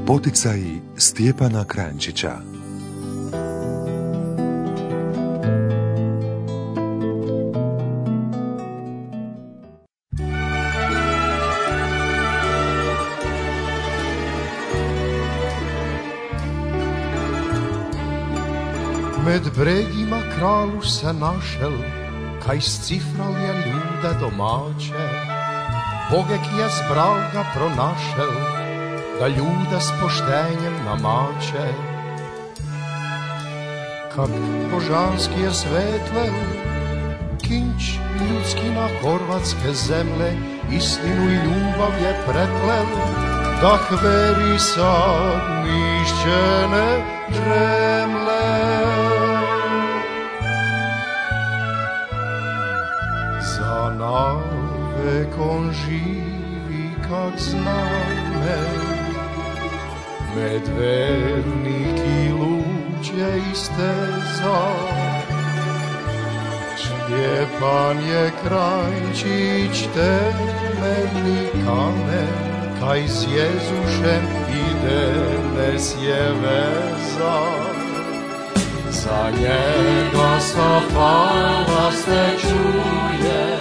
Poticaji Stjepana Kranjčića. Med bregima kralu se našel, kaj scifral je ljude domače. Bogek je zbral ga pronašel, da ljude s poštenjem namače. Kak božanski je svetlel, kinč ljudski na horvatske zemlje, istinu i ljubav je preplel, da hveri sad mišćene žemle. Za navek on živi kak zname, med vernik i luđe isteza. Stjepan je Kranjčić temeljni kamen, kaj s Jezušem ide nes je veza. Za njega sa hvala se čuje,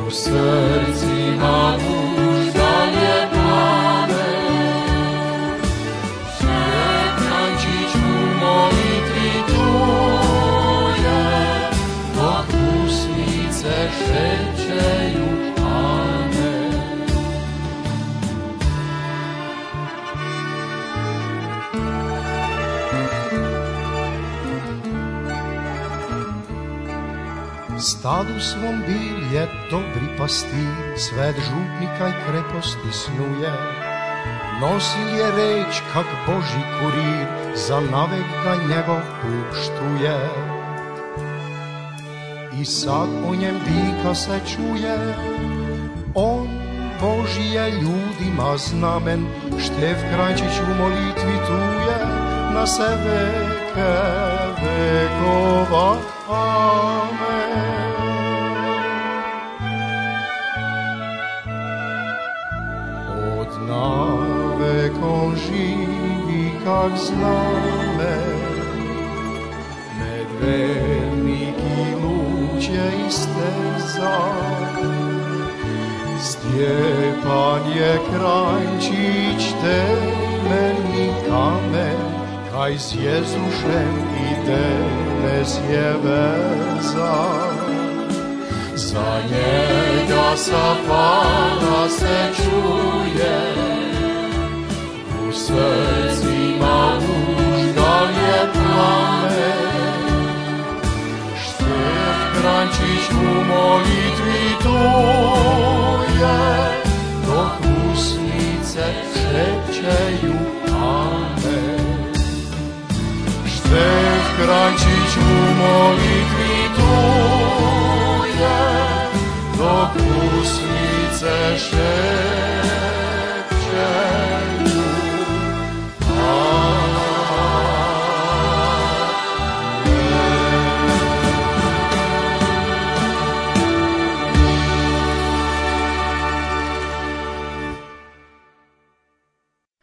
u srcima uždalje plave. Kranjčić u molitvi tuje, dok usnice šećeju amen. Stadu svom bil je dobri pastir, svet župnika i kreposti snuje. Nosil je reč kak Boži kurir, za navek ga njegov puštuje. I sad o njem vika se čuje, on Boži je ljudima znamen. Štef Kranjčić u molitvi tuje, na se veke vekova amen. Od navek on živi kak znamen, med vernik i luđe isteza. Stjepan je Kranjčić temeljni kamen, kaj s Jezušem ide nes je veza. Za njega sa hvala se čuje, u srcima uždalje plamen. Štef Kranjčić u molitvi tuje, dok usnice šećeju amen. Štef Kranjčić u molitvi tuje, dok usnice šećeju amen.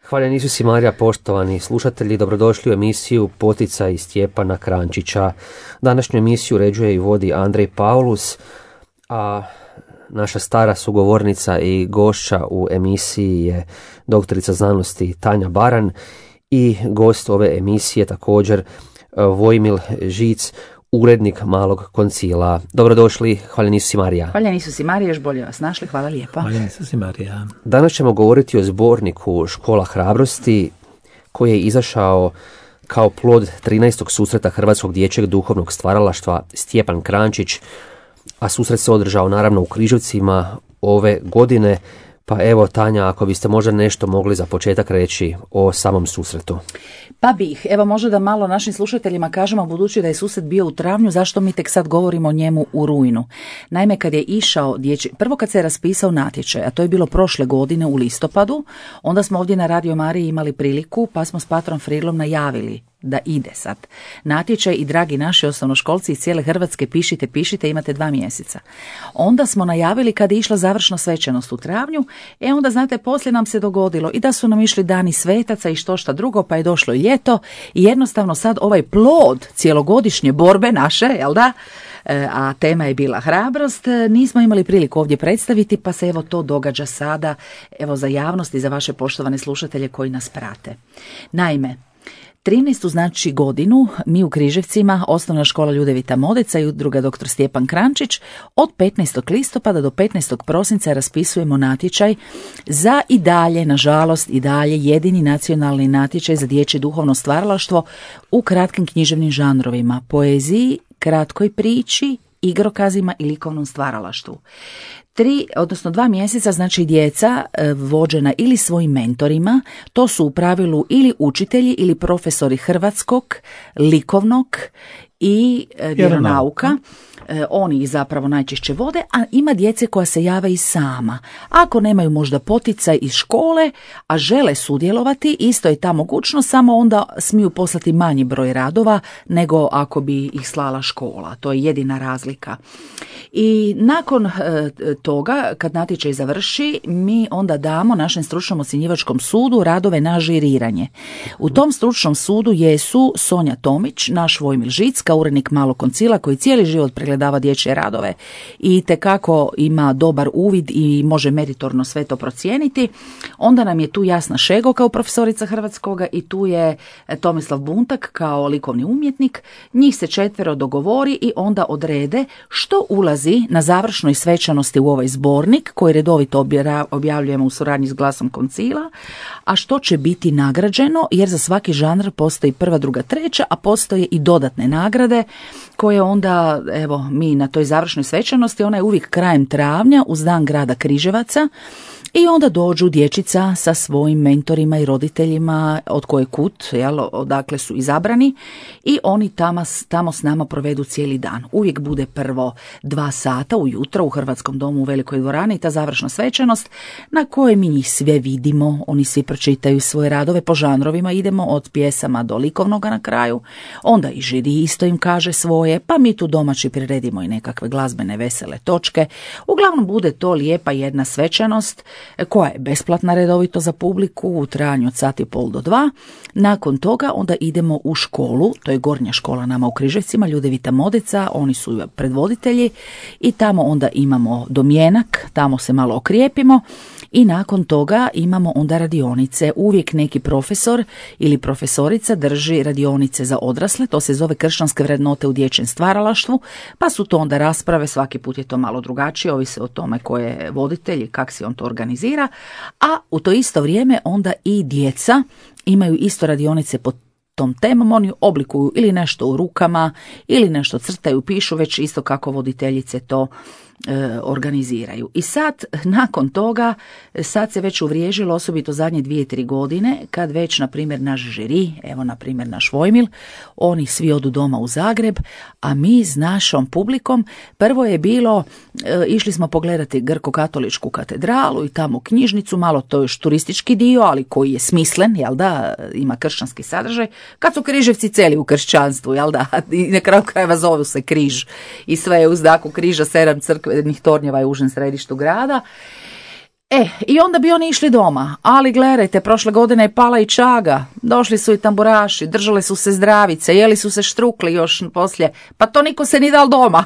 Hvaljen Isus i Marija, poštovani slušatelji, dobrodošli u emisiju Poticaji Stjepana Kranjčića. Današnju emisiju uređuje i vodi Andrej Paulus, a naša stara sugovornica i gošća u emisiji je doktorica znanosti Tanja Baran i gost ove emisije također Vojmil Žic, urednik Malog koncila. Dobrodošli, hvaljen Isus i Marija. Hvaljen Isus i Marija, još bolje vas našli, hvala lijepa. Hvaljen Isus i Marija. Danas ćemo govoriti o zborniku Škola hrabrosti koji je izašao kao plod 13. susreta Hrvatskog dječjeg duhovnog stvaralaštva Stjepan Kranjčić, a susret se održao naravno u Križevcima ove godine. Pa evo, Tanja, ako biste možda nešto mogli za početak reći o samom susretu. Pa bih, evo možda da malo našim slušateljima kažemo, budući da je susret bio u travnju, zašto mi tek sad govorimo o njemu u rujnu. Naime, kad je išao prvo kad se je raspisao natječaj, a to je bilo prošle godine u listopadu, onda smo ovdje na Radio Mariji imali priliku, pa smo s Patrom Frilom najavili da ide sad natječaj i dragi naši osnovnoškolci iz cijele Hrvatske pišite, imate 2 mjeseca. Onda smo najavili kad je išla završna svečanost u travnju, onda znate poslije nam se dogodilo i da su nam išli dani svetaca i što šta drugo, pa je došlo i ljeto i jednostavno sad ovaj plod cijelogodišnje borbe naše, jel da, a tema je bila hrabrost, nismo imali priliku ovdje predstaviti, pa se evo to događa sada, evo za javnost i za vaše poštovane slušatelje koji nas prate. Naime, 13. znači godinu mi u Križevcima, Osnovna škola Ljudevita Modeca i udruga dr. Stjepan Krančić od 15. listopada do 15. prosinca raspisujemo natječaj za i dalje, nažalost i dalje, jedini nacionalni natječaj za dječje duhovno stvaralaštvo u kratkim književnim žanrovima, poeziji, kratkoj priči, igrokazima i likovnom stvaralaštvu. 2 mjeseca znači djeca vođena ili svojim mentorima, to su u pravilu ili učitelji ili profesori hrvatskog, likovnog i vjeronauka. Oni ih zapravo najčešće vode, a ima djece koja se jave i sama. Ako nemaju možda poticaj iz škole, a žele sudjelovati, isto je ta mogućnost, samo onda smiju poslati manji broj radova nego ako bi ih slala škola. To je jedina razlika. I nakon toga, kad natječaj završi, mi onda damo našem stručnom ocjenjivačkom sudu radove na žiriranje. U tom stručnom sudu jesu Sonja Tomić, naš Vojmil Žic, kao urednik Malog koncila koji cijeli život pregledava dječje radove i tekako ima dobar uvid i može meritorno sve to procijeniti. Onda nam je tu Jasna Šego kao profesorica hrvatskoga i tu je Tomislav Buntak kao likovni umjetnik. Njih se 4 dogovori i onda odrede što ulazi na završnoj svečanosti u ovaj zbornik koji redovito objavljujemo u suradnji s Glasom koncila, a što će biti nagrađeno, jer za svaki žanr postoji 1., 2., 3., a postoje i dodatne nagrade koje onda, evo, mi na toj završnoj svečanosti, ona je uvijek krajem travnja uz dan grada Križevaca, i onda dođu dječica sa svojim mentorima i roditeljima od koje kut, odakle su izabrani, i oni tamo s nama provedu cijeli dan. Uvijek bude prvo 2 sata ujutro u Hrvatskom domu u Velikoj dvorani, ta završna svečanost na kojoj mi njih sve vidimo, oni svi pročitaju svoje radove po žanrovima, idemo od pjesama do likovnoga na kraju, onda i žiri isto im kaže svoje, pa mi tu domaći priredimo i nekakve glazbene vesele točke. Uglavnom bude to lijepa jedna svečanost koja je besplatna redovito za publiku u trajanju od 1,5 do 2. Nakon toga onda idemo u školu, to je gornja škola nama u Križevcima, Ljudevita Modeca, oni su predvoditelji i tamo onda imamo domjenak, tamo se malo okrijepimo i nakon toga imamo onda radionice. Uvijek neki profesor ili profesorica drži radionice za odrasle, to se zove kršćanske vrednote u dječjem stvaralaštvu, pa su to onda rasprave, svaki put je to malo drugačije, ovisi o tome ko je voditelj i kak si on to organizira, a u to isto vrijeme onda i djeca imaju isto radionice po tom temom, oni oblikuju ili nešto u rukama ili nešto crtaju, pišu, već isto kako voditeljice to organiziraju. I sad, nakon toga, sad se već uvriježilo, osobito zadnje 2-3 godine, kad već, na primjer, naš žiri, evo, na primjer, naš Vojmil, oni svi odu doma u Zagreb, a mi s našom publikom, prvo je bilo, išli smo pogledati Grko-katoličku katedralu i tamo knjižnicu, malo to još turistički dio, ali koji je smislen, jel da, ima kršćanski sadržaj, kad su Križevci celi u kršćanstvu, jel da, i na kraju krajeva zovu se Križ i sve je u znaku križa, 7 crkvenih tornjeva je u užem središtu grada. I onda bi oni išli doma, ali gledajte, prošle godine je pala i čaga, došli su i tamburaši, držali su se zdravice, jeli su se štrukli još poslije, pa to niko se ni dal doma.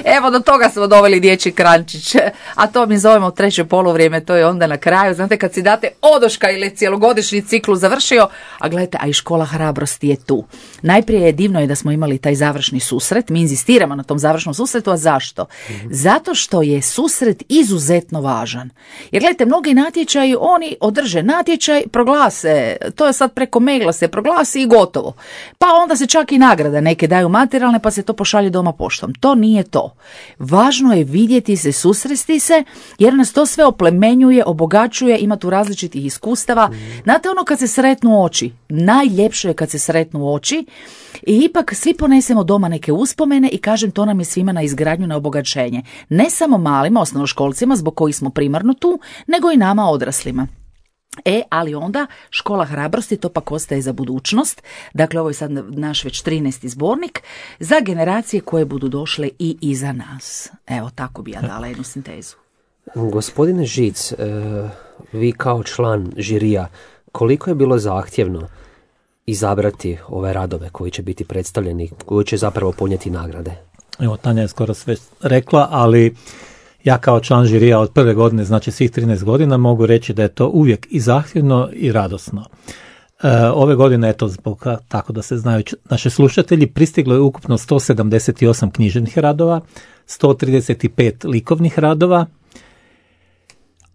Evo, do toga smo doveli dječji krančić, a to mi zovemo 3. poluvrijeme, to je onda na kraju, znate, kad si date odoška ili cjelogodišnji ciklus završio, a gledajte, a i škola hrabrosti je tu. Najprije je divno da smo imali taj završni susret, mi inzistiramo na tom završnom susretu, a zašto? Zato što je susret izuzetno važan. Jer gledajte, mnogi natječaji, oni održe natječaj, proglase, to je sad preko maila se proglasi i gotovo. Pa onda se čak i nagrada neke daju materijalne, pa se to pošalje doma poštom. To nije to. Važno je vidjeti se, susresti se, jer nas to sve oplemenjuje, obogaćuje, ima tu različitih iskustava. Znate, ono kad se sretnu oči, najljepše je kad se sretnu oči i ipak svi ponesemo doma neke uspomene i kažem, to nam je svima na izgradnju, na obogaćenje. Ne samo malima, osnovnoškolcima, zbog kojih smo primarno tu, nego i nama odraslima. Ali onda Škola hrabrosti, to pak ostaje za budućnost. Dakle, ovo je sad naš već 13. zbornik za generacije koje budu došle i iza nas. Evo, tako bi ja dala jednu sintezu. Gospodine Žic, vi kao član žirija, koliko je bilo zahtjevno izabrati ove radove koji će biti predstavljeni, koji će zapravo ponijeti nagrade? Evo, Tanja je skoro sve rekla, ali ja kao član žirija od prve godine, znači svih 13 godina, mogu reći da je to uvijek i zahtjevno i radosno. Ove godine, eto, zbog, tako da se znaju naši slušatelji, pristiglo je ukupno 178 književnih radova, 135 likovnih radova,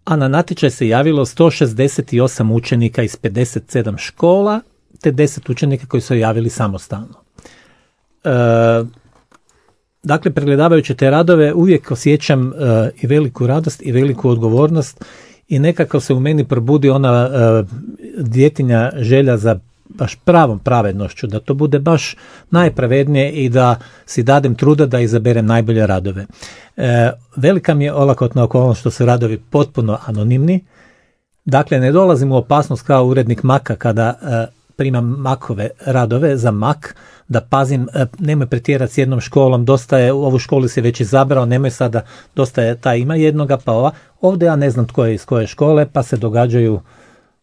a na natječaj se javilo 168 učenika iz 57 škola, te 10 učenika koji su javili samostalno. Dakle, pregledavajući te radove uvijek osjećam i veliku radost i veliku odgovornost i nekako se u meni probudi ona djetinja želja za baš pravom pravednošću, da to bude baš najpravednije i da si dadem truda da izaberem najbolje radove. Velika mi je olakotna okolnost što su radovi potpuno anonimni, dakle ne dolazim u opasnost kao urednik Maka kada primam Makove radove za Mak, da pazim, nemoj pretjerati s jednom školom, dosta je, u ovu školu si već izabrao, nemoj sada, dosta je, ta ima jednoga, pa ova. Ovdje ja ne znam tko je iz koje škole, pa se događaju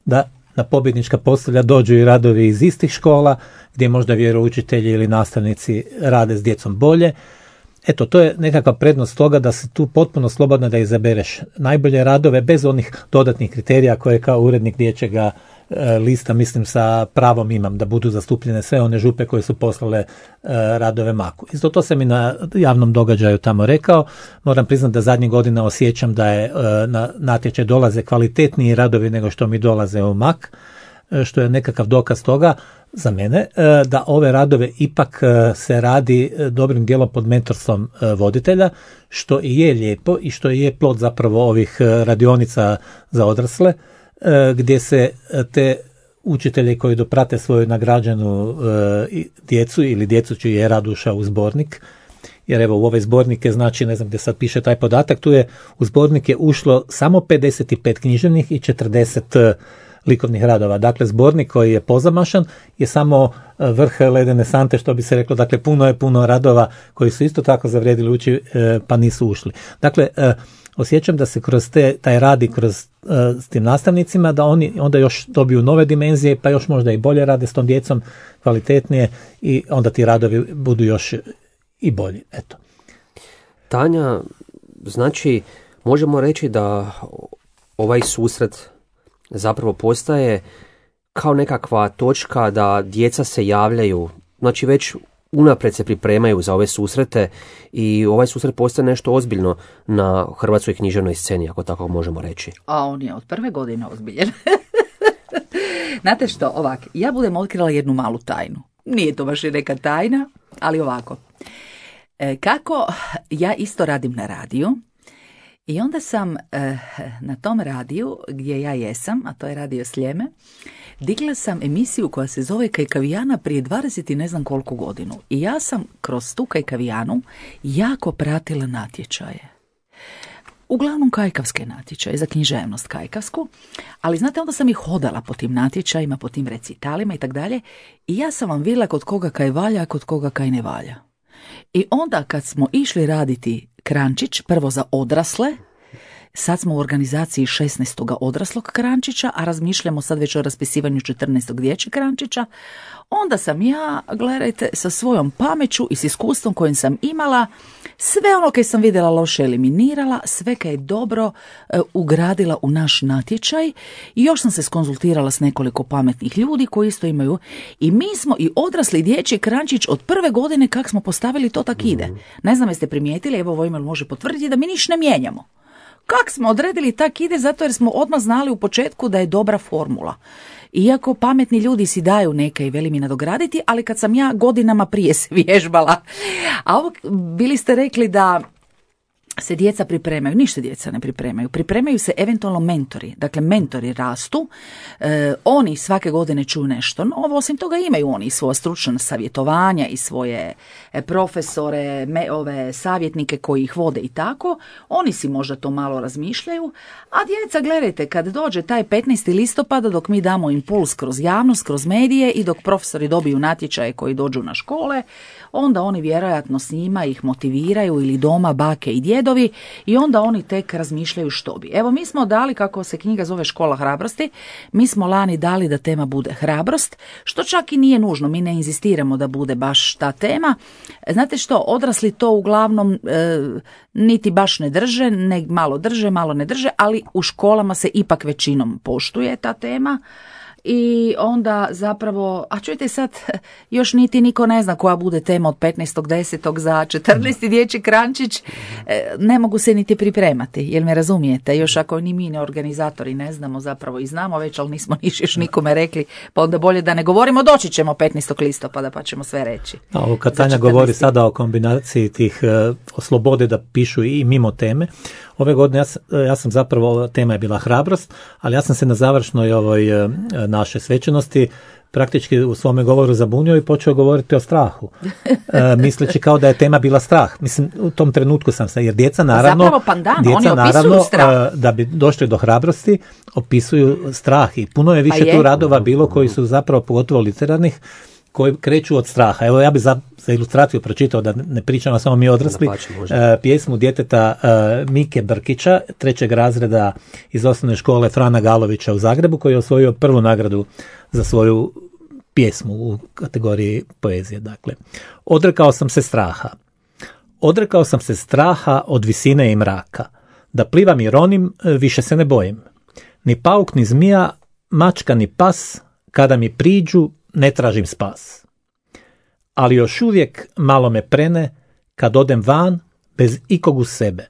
da na pobjednička postolja dođu i radovi iz istih škola, gdje možda vjeroučitelji ili nastavnici rade s djecom bolje. Eto, to je nekakva prednost toga da si tu potpuno slobodno da izabereš najbolje radove, bez onih dodatnih kriterija koje kao urednik dječjega lista, mislim, sa pravom imam da budu zastupljene sve one župe koje su poslale radove Maku. Isto to sam i na javnom događaju tamo rekao. Moram priznati da zadnjih godina osjećam da je na natječaj dolaze kvalitetniji radovi nego što mi dolaze u Mak, što je nekakav dokaz toga za mene, da ove radove ipak se radi dobrim dijelom pod mentorstvom voditelja, što i je lijepo i što je plod zapravo ovih radionica za odrasle, gdje se te učitelji koji doprate svoju nagrađenu djecu ili djecu čiji je rad ušao u zbornik, jer evo u ove zbornike, znači ne znam gdje sad piše taj podatak, tu je u zbornik je ušlo samo 55 književnih i 40 likovnih radova. Dakle, zbornik koji je pozamašan je samo vrh ledene sante, što bi se reklo, dakle puno radova koji su isto tako zavrijedili ući pa nisu ušli. Dakle, osjećam da se kroz taj rad i kroz s tim nastavnicima, da oni onda još dobiju nove dimenzije, pa još možda i bolje rade s tom djecom, kvalitetnije, i onda ti radovi budu još i bolji. Eto. Tanja, znači možemo reći da ovaj susret zapravo postaje kao nekakva točka da djeca se javljaju, znači već unaprijed se pripremaju za ove susrete i ovaj susret postaje nešto ozbiljno na hrvatskoj književnoj sceni, ako tako možemo reći. A on je od prve godine ozbiljen. Znate što, ovak, ja budem otkrila jednu malu tajnu. Nije to baš i neka tajna, ali ovako. Kako ja isto radim na radiju, i onda sam na tom radiju gdje ja jesam, a to je Radio Sljeme, digla sam emisiju koja se zove Kajkavijana prije 20 i ne znam koliko godinu. I ja sam kroz tu Kajkavijanu jako pratila natječaje. Uglavnom kajkavske natječaje, za književnost kajkavsku, ali znate, onda sam i hodala po tim natječajima, po tim recitalima i tak dalje, i ja sam vam vidjela kod koga kaj valja, a kod koga kaj ne valja. I onda kad smo išli raditi Krančić, prvo za odrasle, sad smo u organizaciji 16. odraslog Krančića, a razmišljamo sad već o raspisivanju 14. dječjeg Krančića, onda sam ja, gledajte, sa svojom pameću i s iskustvom kojim sam imala, sve ono kaj sam vidjela loše eliminirala, sve kaj je dobro ugradila u naš natječaj, i još sam se skonzultirala s nekoliko pametnih ljudi koji isto imaju, i mi smo i odrasli dječji Krančić od prve godine kak smo postavili to tak ide. Ne znam jeste primijetili, evo Vojmil može potvrditi da mi niš ne mijenjamo. Kak smo odredili tak ide, zato jer smo odmah znali u početku da je dobra formula. Iako pametni ljudi si daju neke i veli mi nadograditi, ali kad sam ja godinama prije se vježbala. A ovo bili ste rekli da se djeca pripremaju, ništa djeca ne pripremaju se eventualno mentori. Dakle, mentori rastu, oni svake godine čuju nešto novo, osim toga imaju oni svoja stručna savjetovanja i svoje profesore, savjetnike koji ih vode i tako, oni si možda to malo razmišljaju, a djeca, gledajte, kad dođe taj 15. listopada, dok mi damo impuls kroz javnost, kroz medije i dok profesori dobiju natječaje koji dođu na škole, onda oni vjerojatno s njima ih motiviraju ili doma bake i djedovi i onda oni tek razmišljaju što bi. Evo, mi smo dali, kako se knjiga zove Škola hrabrosti, mi smo lani dali da tema bude hrabrost, što čak i nije nužno, mi ne inzistiramo da bude baš ta tema. Znate što, odrasli to uglavnom niti baš ne drže, malo drže, malo ne drže, ali u školama se ipak većinom poštuje ta tema. I onda zapravo, a čujte sad, još niti niko ne zna koja bude tema od 15.10. za 14. dječji krančić, ne mogu se niti pripremati, jel me razumijete? Još ako ni mi ne organizatori ne znamo, zapravo i znamo već, ali nismo još nikome rekli, pa onda bolje da ne govorimo, doći ćemo 15. listopada pa ćemo sve reći. Ovo kad Tanja govori sada o kombinaciji tih o slobode da pišu i mimo teme, ove godine ja sam zapravo, tema je bila hrabrost, ali ja sam se na završnoj ovoj naše svečanosti praktički u svome govoru zabunio i počeo govoriti o strahu. Misleći kao da je tema bila strah. Mislim, u tom trenutku sam se, jer djeca naravno, da bi došli do hrabrosti, opisuju strah i puno je više tu radova bilo koji su zapravo, pogotovo literarnih, koji kreću od straha. Evo, ja bi za ilustraciju pročitao, da ne pričamo samo mi odrasli, pjesmu djeteta Mike Brkića, 3. razreda iz osnovne škole Frana Galovića u Zagrebu, koji je osvojio prvu nagradu za svoju pjesmu u kategoriji poezije. Dakle, odrekao sam se straha. Odrekao sam se straha od visine i mraka. Da plivam i ronim, više se ne bojim. Ni pauk, ni zmija, mačka, ni pas, kada mi priđu, ne tražim spas. Ali još uvijek malo me prene kad odem van bez ikog uz sebe.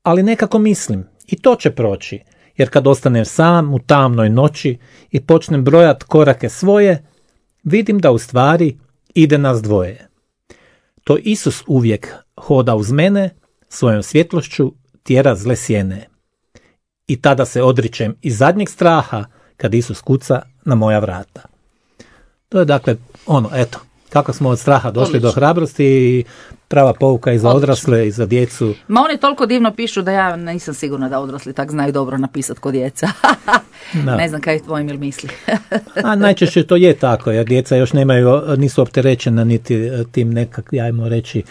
Ali nekako mislim, i to će proći, jer kad ostanem sam u tamnoj noći i počnem brojat korake svoje, vidim da u stvari ide nas dvoje. To Isus uvijek hoda uz mene, svojom svjetlošću tjera zle sjene. I tada se odričem iz zadnjeg straha kad Isus kuca na moja vrata. To je dakle eto, kako smo od straha došli do hrabrosti i prava pouka i za odrasle i za djecu. Ma oni toliko divno pišu da ja nisam sigurna da odrasli tak znaju dobro napisati kod djeca. Ne znam kaj je tvoj Emil misli. A najčešće to je tako, jer djeca još nisu opterećena niti tim ajmo reći,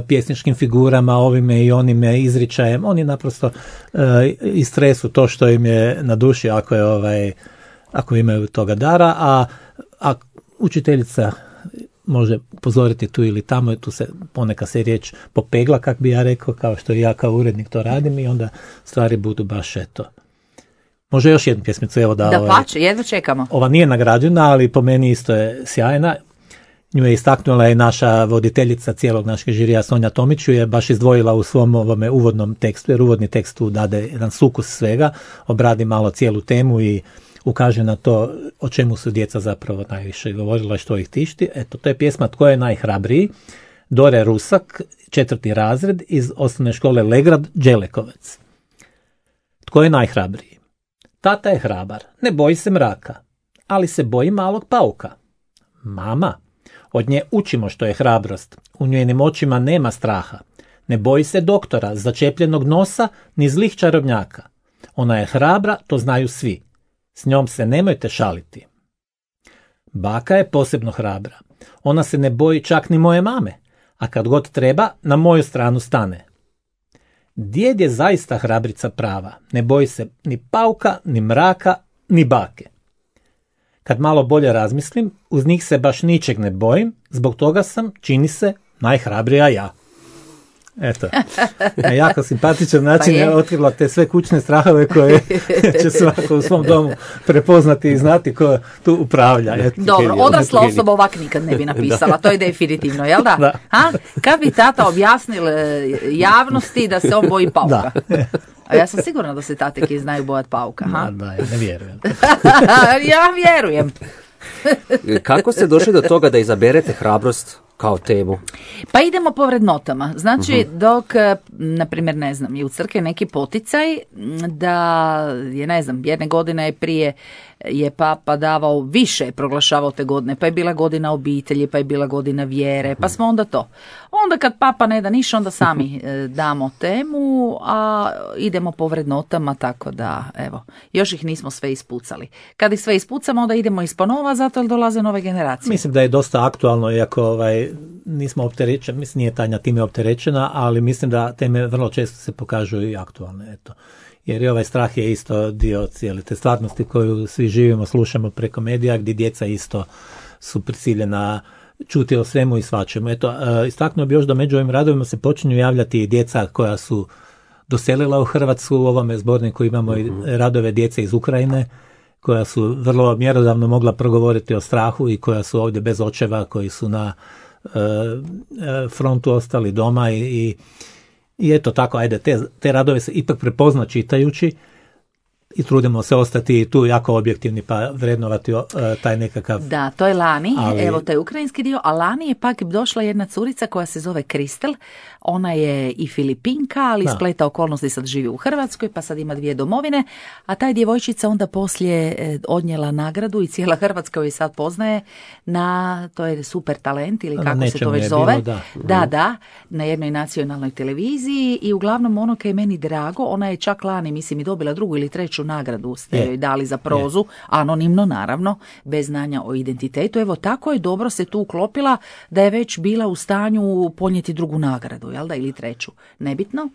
pjesničkim figurama, ovime i onime izričajem. Oni naprosto istresu to što im je na duši ako imaju toga dara, a učiteljica može upozoriti tu ili tamo, tu se ponekad se riječ popegla, kak bi ja rekao, kao što i ja kao urednik to radim, i onda stvari budu baš eto. Može još jednu pjesmicu, evo da pače, jedva čekamo. Ova nije nagrađena, ali po meni isto je sjajna. Nju je istaknula i naša voditeljica cijelog našeg žirija Sonja Tomić, je baš izdvojila u svom ovome uvodnom tekstu, jer uvodni tekst tu dade jedan sukus svega, obradi malo cijelu temu i ukaže na to o čemu su djeca zapravo najviše govorila, što ih tišti. Eto, to je pjesma Tko je najhrabriji, Dore Rusak, 4. razred iz osnovne škole Legrad, Đelekovec. Tko je najhrabriji? Tata je hrabar, ne boji se mraka, ali se boji malog pauka. Mama, od nje učimo što je hrabrost, u njenim očima nema straha. Ne boji se doktora, začepljenog nosa, ni zlih čarobnjaka. Ona je hrabra, to znaju svi. S njom se nemojte šaliti. Baka je posebno hrabra. Ona se ne boji čak ni moje mame, a kad god treba, na moju stranu stane. Djed je zaista hrabrica prava. Ne boji se ni pauka, ni mraka, ni bake. Kad malo bolje razmislim, uz njih se baš ničeg ne bojim, zbog toga sam, čini se, najhrabrija ja. Eto, na jako simpatičan način je otkrila te sve kućne strahove koje će svako u svom domu prepoznati i znati ko tu upravlja. Eto, dobro, odrasla osoba ovak nikad ne bi napisala, to je definitivno, jel da? Kad bi tata objasnil javnosti da se on boji pauka? A ja sam sigurna da se tateki znaju bojati pauka. Ne vjerujem. Ja vjerujem. Kako ste došli do toga da izaberete hrabrost kao temu? Pa idemo po vrednotama. Znači, dok, na primjer, ne znam, je u crkvi neki poticaj da je, ne znam, jedne godine prije je papa davao više, proglašavao te godine, pa je bila godina obitelji, pa je bila godina vjere, pa smo onda to. Onda kad papa ne da ništa, onda sami damo temu, a idemo po vrednotama, tako da, evo, još ih nismo sve ispucali. Kad ih sve ispucamo, onda idemo isponova, zato jer dolaze nove generacije. Mislim da je dosta aktualno, iako nismo opterećeni, mislim nije Tanja time opterećena, ali mislim da teme vrlo često se pokažu i aktualne, eto. Jer i ovaj strah je isto dio cijele te stvarnosti koju svi živimo, slušamo preko medija, gdje djeca isto su prisiljena čuti o svemu i svačemu. Eto, istaknuo bi još da među ovim radovima se počinju javljati i djeca koja su doselila u Hrvatsku. U ovome zborniku imamo i radove djece iz Ukrajine, koja su vrlo mjerodavno mogla progovoriti o strahu i koja su ovdje bez očeva, koji su na frontu ostali doma i eto tako, ajde, te radove se ipak prepozna čitajući i trudimo se ostati tu jako objektivni pa vrednovati taj nekakav... Da, to je lani, evo taj ukrajinski dio, a lani je pak došla jedna curica koja se zove Kristel, ona je i Filipinka, ali spleta okolnosti sad živi u Hrvatskoj, pa sad ima 2 domovine, a taj djevojčica onda poslije odnijela nagradu i cijela Hrvatska joj sad poznaje na, to je super talent ili kako se to već zove, bilo, da, na jednoj nacionalnoj televiziji i uglavnom ono kaj je meni drago, ona je čak lani, mislim, i dobila 2. ili 3. nagradu ste joj dali za prozu, anonimno naravno, bez znanja o identitetu. Evo tako je dobro se tu uklopila da je već bila u stanju ponijeti 2. nagradu, jel da, ili 3. nebitno.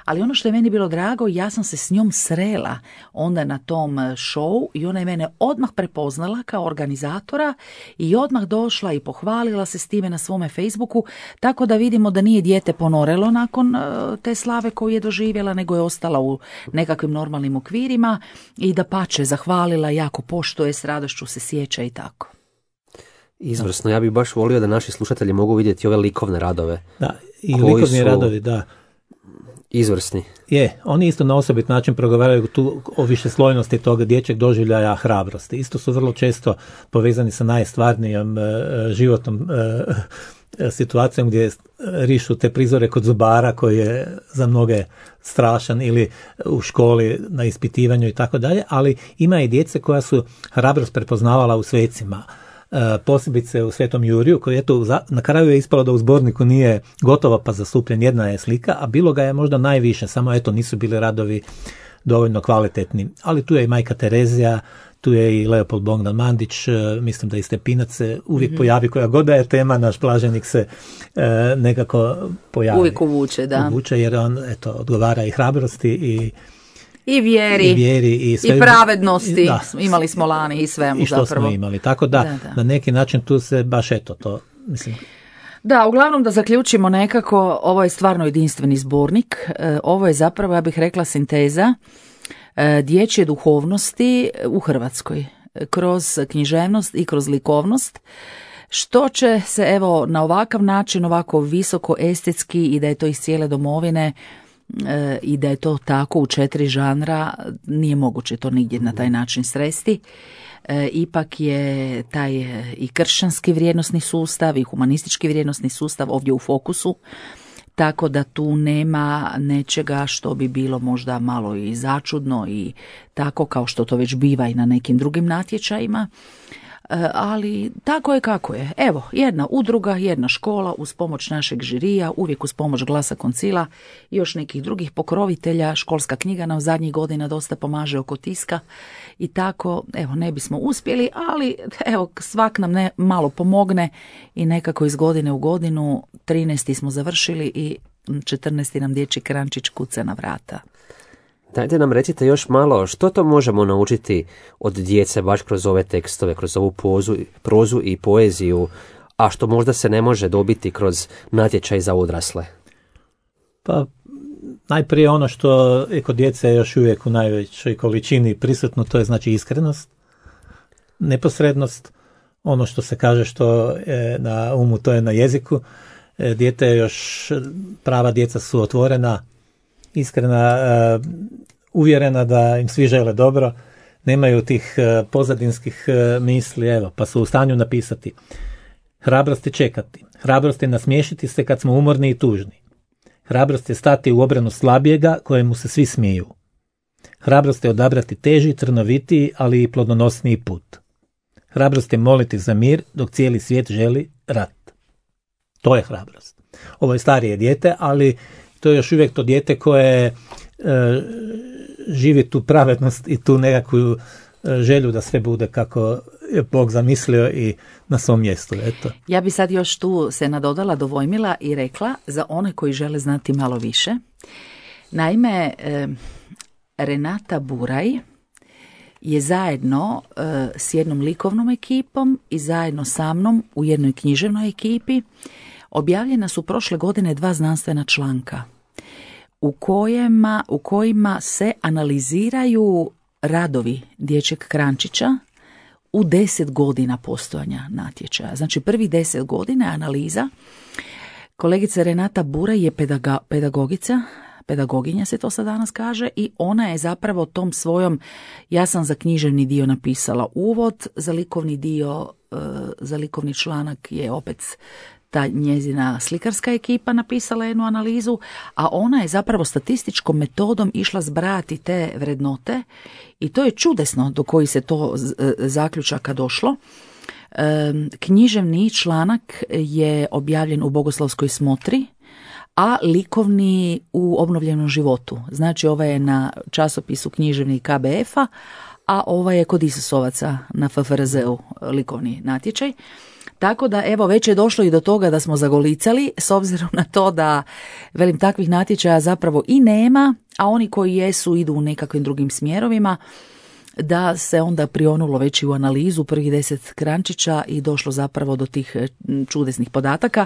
Ali ono što je meni bilo drago, ja sam se s njom srela onda na tom showu i ona je mene odmah prepoznala kao organizatora i odmah došla i pohvalila se s time na svome Facebooku, tako da vidimo da nije dijete ponorelo nakon te slave koju je doživjela, nego je ostala u nekakvim normalnim okvirima i da pače zahvalila, jako poštuje, s radošću se sjeća i tako. Izvrsno, ja bih baš volio da naši slušatelji mogu vidjeti ove likovne radove. Da, i likovni radovi, da. Izvrsni. Oni isto na osobit način progovaraju tu o višeslojnosti toga dječjeg doživljaja hrabrosti. Isto su vrlo često povezani sa najstvarnijom životnom situacijom gdje rišu te prizore kod zubara koji je za mnoge strašan ili u školi na ispitivanju i tako dalje, ali ima i djece koja su hrabrost prepoznavala u svecima. Posebice u Svetom Juriju, koji eto na kraju je ispalo da u zborniku nije gotovo pa zastupljen, jedna je slika, a bilo ga je možda najviše, samo eto nisu bili radovi dovoljno kvalitetni. Ali tu je i Majka Terezija, tu je i Leopold Bogdan Mandić, mislim da i Stepinac se uvijek pojavi, koja god da je tema, naš blaženik se nekako pojavi. Uvijek uvuče, da. Uvuče jer on eto odgovara i hrabrosti i vjeri i, sve, i pravednosti, imali smo lani i svemu i što zapravo. Smo imali, tako da na neki način tu se baš eto to, mislim... Da, uglavnom da zaključimo nekako, ovo je stvarno jedinstveni zbornik, ovo je zapravo, ja bih rekla, sinteza dječje duhovnosti u Hrvatskoj, kroz književnost i kroz likovnost, što će se evo na ovakav način, ovako visoko estetski i da je to iz cijele domovine i da je to tako u 4 žanra, nije moguće to nigdje na taj način sresti. Ipak je taj i kršćanski vrijednosni sustav i humanistički vrijednosni sustav ovdje u fokusu, tako da tu nema nečega što bi bilo možda malo i začudno i tako kao što to već biva i na nekim drugim natječajima. Ali tako je kako je. Evo, jedna udruga, jedna škola uz pomoć našeg žirija, uvijek uz pomoć Glasa Koncila i još nekih drugih pokrovitelja. Školska knjiga nam zadnjih godina dosta pomaže oko tiska i tako, evo, ne bismo uspjeli, ali evo, svak nam malo pomogne i nekako iz godine u godinu 13. smo završili i 14. nam dječji krančić kuca na vrata. Dajte nam recite još malo što to možemo naučiti od djece baš kroz ove tekstove, kroz ovu prozu i poeziju, a što možda se ne može dobiti kroz natječaj za odrasle. Pa najprije ono što je kod djece još uvijek u najvećoj količini prisutno, to je znači iskrenost, neposrednost, ono što se kaže što je na umu, to je na jeziku. Dijete još, prava djeca su otvorena, iskrena, uvjerena da im svi žele dobro, nemaju tih pozadinskih misli, evo, pa su u stanju napisati. Hrabrosti čekati, Hrabrost je nasmiješiti se kad smo umorni i tužni. Hrabrost je stati u obranu slabijega kojemu se svi smiju. Hrabrost je odabrati teži, trnovitiji, ali i plodonosniji put. Hrabrost je moliti za mir dok cijeli svijet želi rat. To je hrabrost. Ovo je starije dijete, ali to je još uvijek to dijete koje živi tu pravednost i tu nekakvu želju da sve bude kako je Bog zamislio i na svom mjestu. Eto. Ja bi sad još tu se nadodala, dovojmila i rekla za one koji žele znati malo više. Naime, Renata Buraj je zajedno s jednom likovnom ekipom i zajedno sa mnom u jednoj književnoj ekipi objavljena su prošle godine 2 znanstvena članka u kojima se analiziraju radovi dječjeg Krančića u 10 godina postojanja natječaja. Znači prvih 10 godina je analiza. Kolegica Renata Buraj je pedagoginja se to sad danas kaže, i ona je zapravo tom svojom, ja sam za književni dio napisala uvod, za likovni dio, za likovni članak je opet ta njezina slikarska ekipa napisala jednu analizu, a ona je zapravo statističkom metodom išla zbrajati te vrednote i to je čudesno do koji se to zaključaka došlo. Književni članak je objavljen u Bogoslavskoj smotri, a likovni u Obnovljenom životu. Znači ovaj je na časopisu književni KBF-a, a ovaj je kod Isusovaca na FFRZ-u likovni natječaj. Tako da evo već je došlo i do toga da smo zagolicali, s obzirom na to da velim takvih natječaja zapravo i nema, a oni koji jesu idu u nekakvim drugim smjerovima, da se onda prionulo već i u analizu prvih 10 Krančića i došlo zapravo do tih čudesnih podataka.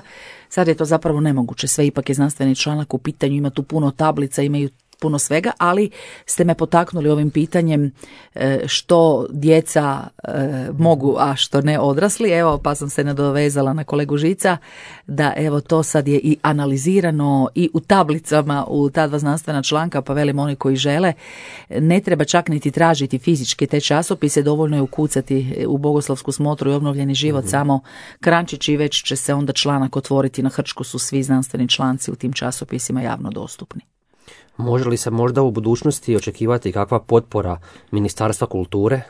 Sad je to zapravo nemoguće, sve ipak je znanstveni članak u pitanju, ima tu puno tablica, imaju puno svega, ali ste me potaknuli ovim pitanjem što djeca mogu, a što ne odrasli. Evo, pa sam se nadovezala na kolegu Žica da evo to sad je i analizirano i u tablicama u ta 2 znanstvena članka, pa velim oni koji žele, ne treba čak niti tražiti fizički te časopise, dovoljno je ukucati u Bogoslavsku smotru i Obnovljeni život samo Krančić i već će se onda članak otvoriti. Na hrčku su svi znanstveni članci u tim časopisima javno dostupni. Može li se možda u budućnosti očekivati kakva potpora Ministarstva kulture?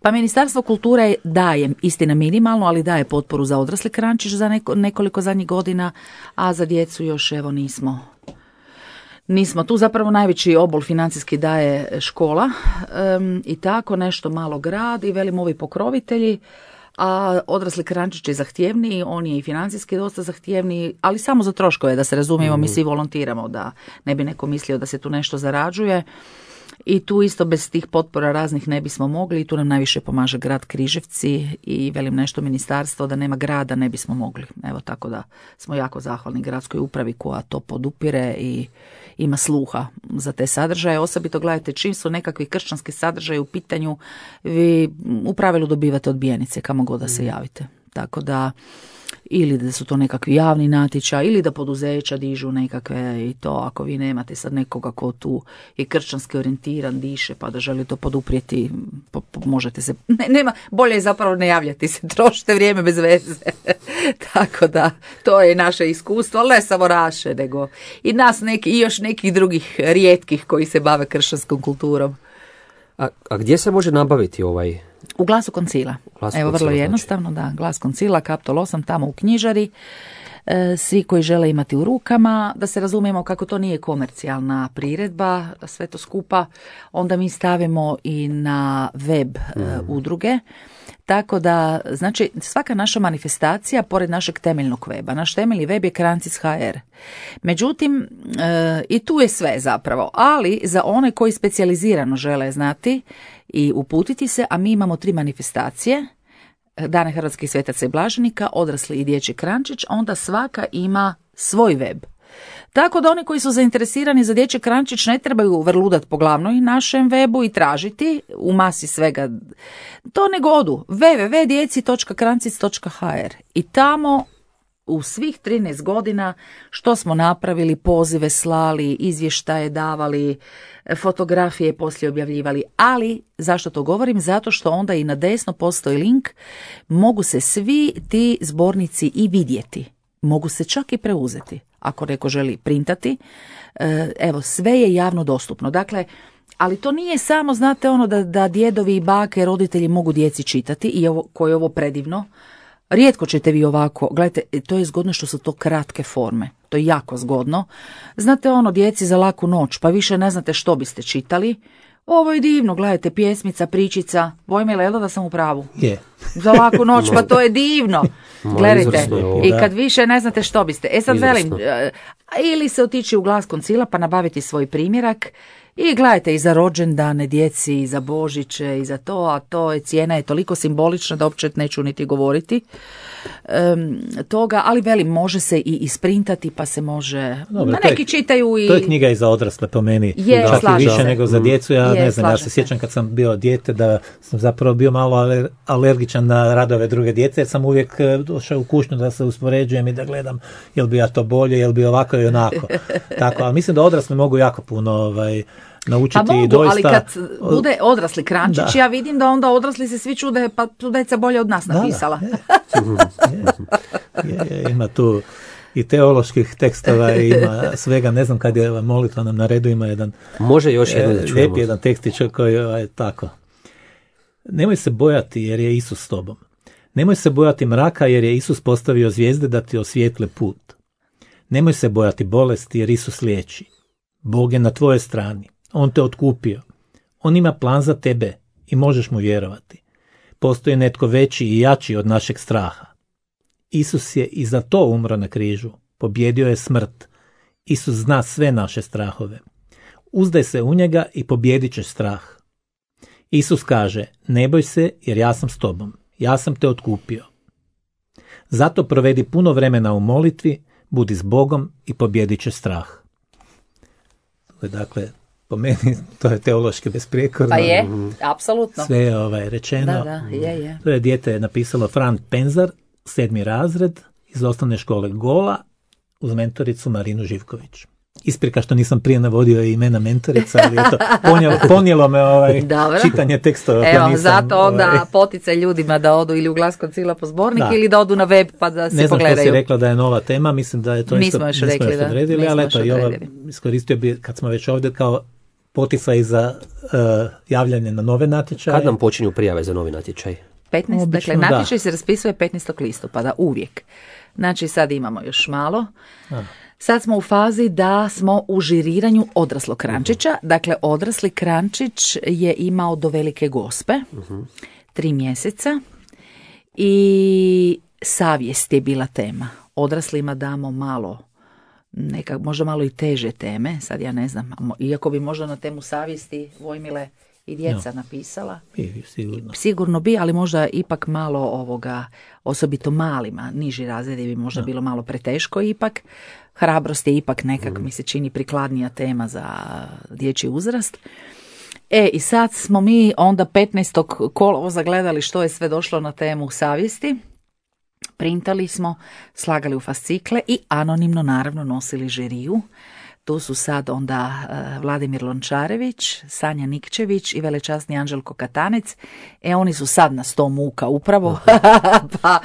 Pa Ministarstvo kulture daje, istina minimalno, ali daje potporu za odrasli Krančić za nekoliko zadnjih godina, a za djecu još evo nismo tu. Zapravo najveći obol financijski daje škola i tako nešto malo grad i velim ovi pokrovitelji. A odrasli Krančić je zahtjevniji, on je i financijski dosta zahtjevniji, ali samo za troškove, da se razumijemo, mi svi volontiramo, da ne bi neko mislio da se tu nešto zarađuje. I tu isto bez tih potpora raznih ne bismo mogli i tu nam najviše pomaže grad Križevci i velim nešto ministarstvo, da nema grada ne bismo mogli. Evo tako da smo jako zahvalni gradskoj upravi koja to podupire i ima sluha za te sadržaje. Osobito gledajte, čim su nekakvi kršćanski sadržaji u pitanju, vi u pravilu dobivate odbijenice kamo god da se javite. Tako da ili da su to nekakvi javni natječaj ili da poduzeća dižu nekakve i to ako vi nemate sad nekoga ko tu je kršćanski orijentiran, diše pa da želi to poduprijeti, možete se, nema, bolje je zapravo ne javljati se, trošite vrijeme bez veze. Tako da to je naše iskustvo, ali ne samo naše, nego i nas neki, i još nekih drugih rijetkih koji se bave kršćanskom kulturom. A gdje se može nabaviti ovaj? U Glasu Koncila. Evo vrlo jednostavno, da, Glas Koncila, Kaptol 8, tamo u knjižari. Svi koji žele imati u rukama, da se razumijemo kako to nije komercijalna priredba, sve to skupa, onda mi stavimo i na web udruge. Tako da, znači, svaka naša manifestacija, pored našeg temeljnog weba, naš temeljni web je Krancis.hr. Međutim, i tu je sve zapravo, ali za one koji specijalizirano žele znati i uputiti se, a mi imamo 3 manifestacije, Dane hrvatskih svetaca i blaženika, odrasli i dječji Krančić, onda svaka ima svoj web. Tako da oni koji su zainteresirani za dječji Krančić ne trebaju vrludat po glavnoj našem webu i tražiti u masi svega. To nego odu www.djeci.krancis.hr i tamo u svih 13 godina što smo napravili, pozive slali, izvještaje davali, fotografije poslije objavljivali, ali zašto to govorim? Zato što onda i na desno postoji link, mogu se svi ti zbornici i vidjeti. mogu se čak i preuzeti. Ako neko želi printati, evo, sve je javno dostupno. Dakle, ali to nije samo, znate, ono da djedovi i bake, roditelji mogu djeci čitati, i koje je ovo predivno. Rijetko ćete vi ovako, gledajte, to je zgodno što su to kratke forme, to je jako zgodno. Znate, ono, djeci za laku noć, pa više ne znate što biste čitali. Ovo je divno, gledajte, pjesmica, pričica, Vojmile, da sam u pravu? Je. Za laku noć, pa to je divno. Gledajte, i kad više ne znate što biste. Sad velim, ili se otići u Glas Koncila pa nabaviti svoj primjerak, i gledajte, i za rođendane djeci, i za Božiće, i za to, a to je, cijena je toliko simbolična da uopće neću niti govoriti toga, ali velim, može se i isprintati, pa se može, dobro, neki čitaju i... To je knjiga i za odrasle po meni, čak i više nego za djecu, ne znam, ja se sjećam kad sam bio dijete da sam zapravo bio malo alergičan na radove druge djece, jer sam uvijek došao u kućnu da se uspoređujem i da gledam jel bi ja to bolje, jel bi ovako i onako. Tako, ali mislim da odrasli mogu jako puno naučiti. Pa mogu, doista, ali kad bude odrasli Krančić, ja vidim da onda odrasli se svi čude, pa tu deca bolje od nas napisala. Ima tu i teoloških tekstova, ima svega, ne znam kad je molitva nam na redu, ima jedan može još jedno da čujemo. Lijepi jedan tekstić koji je tako. Nemoj se bojati jer je Isus s tobom. Nemoj se bojati mraka jer je Isus postavio zvijezde da ti osvijetle put. Nemoj se bojati bolesti jer Isus liječi. Bog je na tvojoj strani. On te otkupio. On ima plan za tebe i možeš mu vjerovati. Postoji netko veći i jači od našeg straha. Isus je i za to umro na križu. Pobjedio je smrt. Isus zna sve naše strahove. Uzdaj se u njega i pobjedit ćeš strah. Isus kaže, ne boj se jer ja sam s tobom. Ja sam te otkupio. Zato provedi puno vremena u molitvi, budi s Bogom i pobjedit ćeš strah. Dakle, po meni to je teološki besprijekorno. Pa je, apsolutno. Sve je rečeno. Da, je. To je dijete napisalo Fran Penzar, 7. razred, iz osnovne škole Gola, uz mentoricu Marinu Živković. Isprika što nisam prije navodio imena mentorica, ali eto, ponijelo me čitanje tekstova. Evo, zato onda poticaj ljudima da odu ili u Glas Koncila po zbornik ili da odu na web pa da se pogledaju. Ne znam što si rekla da je nova tema, mislim da je to nismo još odredili, ali eto, iskoristio bi, kad smo već ovdje, kao poticaj za javljanje na nove natječaje. Kad nam počinju prijave za novi natječaj? 15, dakle, natječaj se raspisuje 15. listopada, uvijek. Znači, sad imamo još malo. Sad smo u fazi da smo u žiriranju odraslog Krančića. Dakle, odrasli Krančić je imao do Velike Gospe 3 mjeseca i savjest je bila tema. Odraslima damo malo, možda malo i teže teme, sad ja ne znam, iako bi možda na temu savjesti Vojmile i djeca napisala. Sigurno bi, ali možda ipak malo osobito malima, niži razredi bi možda bilo malo preteško ipak. Hrabrost je ipak nekak, mi se čini, prikladnija tema za dječji uzrast. I sad smo mi onda 15. kolovoza gledali što je sve došlo na temu savjesti. Printali smo, slagali u fascikle i anonimno naravno nosili žiriju. Tu su sad onda Vladimir Lončarević, Sanja Nikčević i velečasni Anđelko Katanec. Oni su sad na 100 muka upravo, pa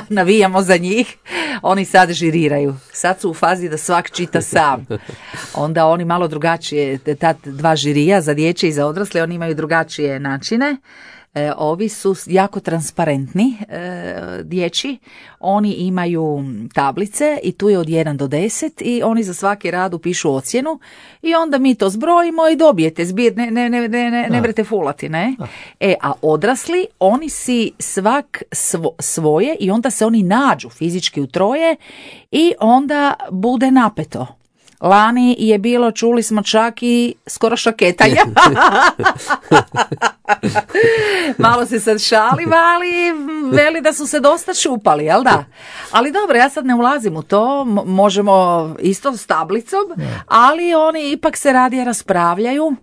navijamo za njih. Oni sad žiriraju. Sad su u fazi da svak čita sam. Onda oni malo drugačije, ta 2 žirija za dječje i za odrasle, oni imaju drugačije načine. Ovi su jako transparentni dječji, oni imaju tablice i tu je od 1 do 10 i oni za svaki rad upišu ocjenu i onda mi to zbrojimo i dobijete zbir, ne brete fulati, ne? A odrasli, oni si svak svoje i onda se oni nađu fizički u troje i onda bude napeto. Lani je bilo, čuli smo čak i skoro šaketanja. Malo se sad šalim, ali veli da su se dosta šupali, jel da? Ali dobro, ja sad ne ulazim u to, možemo isto s tablicom, ali oni ipak se radije raspravljaju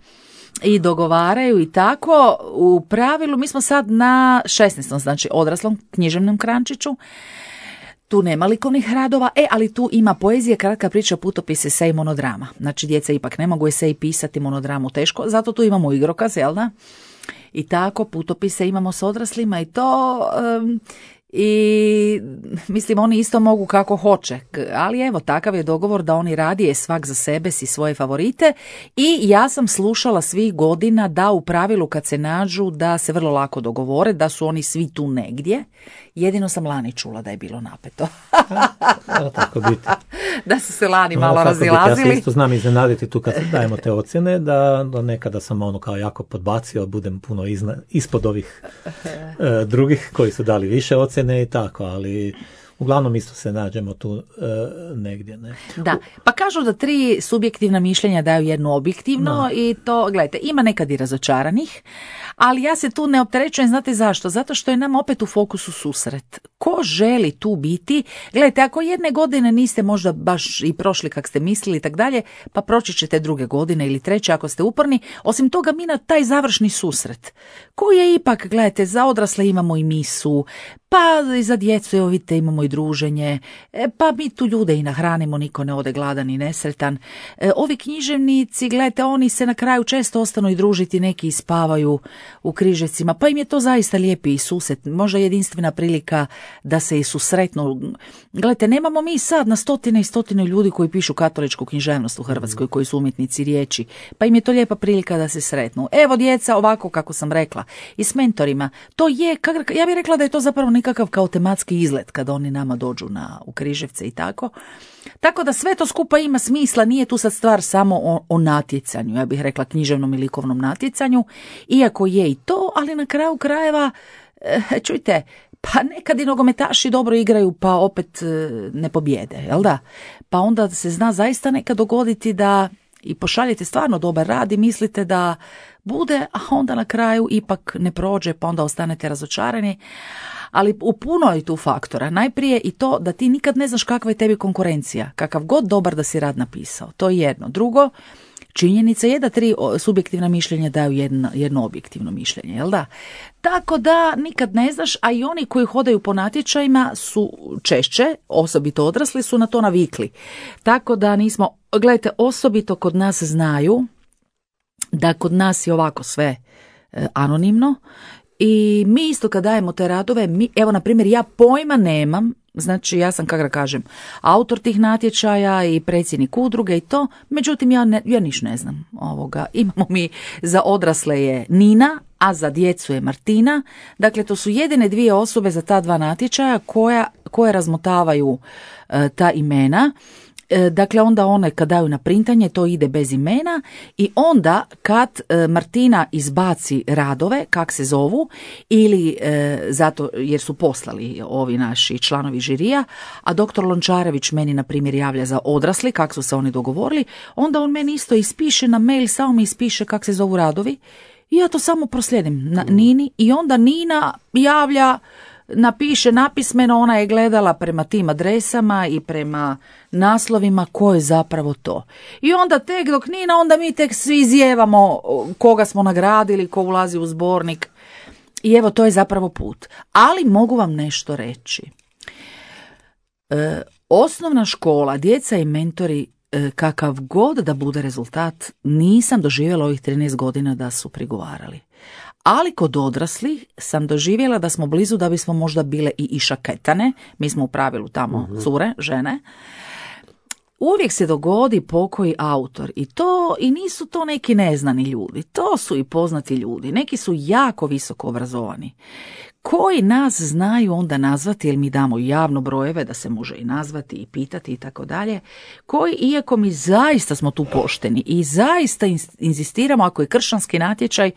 i dogovaraju i tako. U pravilu mi smo sad na 16. znači odraslom književnom Krančiću. Tu nema likovnih radova, ali tu ima poezije, kratka priča, putopis, esej i monodrama. Znači, djeca ipak ne mogu esej pisati, monodramu teško, zato tu imamo igrokaz, jel da? I tako, putopise imamo s odraslima i to i mislim oni isto mogu kako hoće, ali evo takav je dogovor da oni radije svak za sebe si svoje favorite i ja sam slušala svih godina da u pravilu kad se nađu da se vrlo lako dogovore, da su oni svi tu negdje, jedino sam lani čula da je bilo napeto. Tako biti. Da su se lani malo razilazili. Ja se isto znam iznenaditi tu kad dajemo te ocjene, da nekada sam ono kao jako podbacio, budem puno ispod ovih drugih koji su dali više ocjene i tako, ali uglavnom isto se nađemo tu negdje. Ne? Da, pa kažu da 3 subjektivna mišljenja daju jedno objektivno i to, gledajte, ima nekad i razočaranih, ali ja se tu ne opterećujem, znate zašto? Zato što je nam opet u fokusu susret. Ko želi tu biti? Gledajte, ako jedne godine niste možda baš i prošli kak ste mislili i tak dalje, pa proći ćete druge godine ili treće ako ste uporni. Osim toga mi na taj završni susret, koji je ipak, gledajte, za odrasle imamo i misu, pa i za djecu, evo vidite, imamo i druženje, pa mi tu ljude i nahranimo, niko ne ode gladan i nesretan. Ovi književnici, gledajte, oni se na kraju često ostanu i družiti, neki ispavaju u Križevcima, pa im je to zaista lijepi i susret, možda jedinstvena prilika da se i susretnu. Gledajte, nemamo mi sad na stotine i stotine ljudi koji pišu katoličku književnost u Hrvatskoj, koji su umjetnici riječi, pa im je to lijepa prilika da se sretnu. Evo djeca, ovako kako sam rekla, i s mentorima, to je, ja bih rekla da je to zapravo nekakav kao tematski izlet kad oni nama dođu u Križevce i tako. Tako da sve to skupa ima smisla, nije tu sad stvar samo o natjecanju, ja bih rekla književnom i likovnom natjecanju, iako je i to, ali na kraju krajeva, čujte, pa nekad i nogometaši dobro igraju pa opet ne pobjede, jel da? Pa onda se zna zaista nekad dogoditi da i pošaljete stvarno dobar rad i mislite da bude, a onda na kraju ipak ne prođe, pa onda ostanete razočarani. Ali u puno je tu faktora. Najprije i to da ti nikad ne znaš kakva je tebi konkurencija, kakav god dobar da si rad napisao. To je jedno. Drugo, činjenica je da 3 subjektivna mišljenja daju jedno objektivno mišljenje, jel da? Tako da nikad ne znaš, a i oni koji hodaju po natječajima su češće, osobito odrasli, su na to navikli. Tako da nismo, gledajte, osobito kod nas znaju da kod nas je ovako sve anonimno. I mi isto kad dajemo te radove, evo na primjer ja pojma nemam, znači ja sam kako da kažem autor tih natječaja i predsjednik udruge i to, međutim ja niš ne znam ovoga. Imamo mi za odrasle je Nina, a za djecu je Martina, dakle to su jedine 2 osobe za ta 2 natječaja koje razmotavaju ta imena. Dakle, onda one kad daju na printanje, to ide bez imena i onda kad Martina izbaci radove, kak se zovu, ili zato jer su poslali ovi naši članovi žirija, a doktor Lončarević meni, na primjer, javlja za odrasli, kak su se oni dogovorili, onda on meni isto ispiše na mail, samo mi ispiše kak se zovu radovi i ja to samo proslijedim na Nini i onda Nina javlja, napiše napismeno, ona je gledala prema tim adresama i prema naslovima ko je zapravo to. I onda tek dok Nina, onda mi tek svi izjevamo koga smo nagradili, ko ulazi u zbornik. I evo, to je zapravo put. Ali mogu vam nešto reći. Osnovna škola, djeca i mentori, kakav god da bude rezultat, nisam doživjela ovih 13 godina da su prigovarali. Ali kod odraslih sam doživjela da smo blizu da bismo možda bile i išaketane, mi smo u pravilu tamo cure, žene. Uvijek se dogodi pokoji autor i nisu to neki neznani ljudi, to su i poznati ljudi, neki su jako visoko obrazovani, koji nas znaju onda nazvati, jer mi damo javno brojeve da se može i nazvati i pitati i tako dalje, koji, iako mi zaista smo tu pošteni i zaista inzistiramo ako je kršćanski natječaj,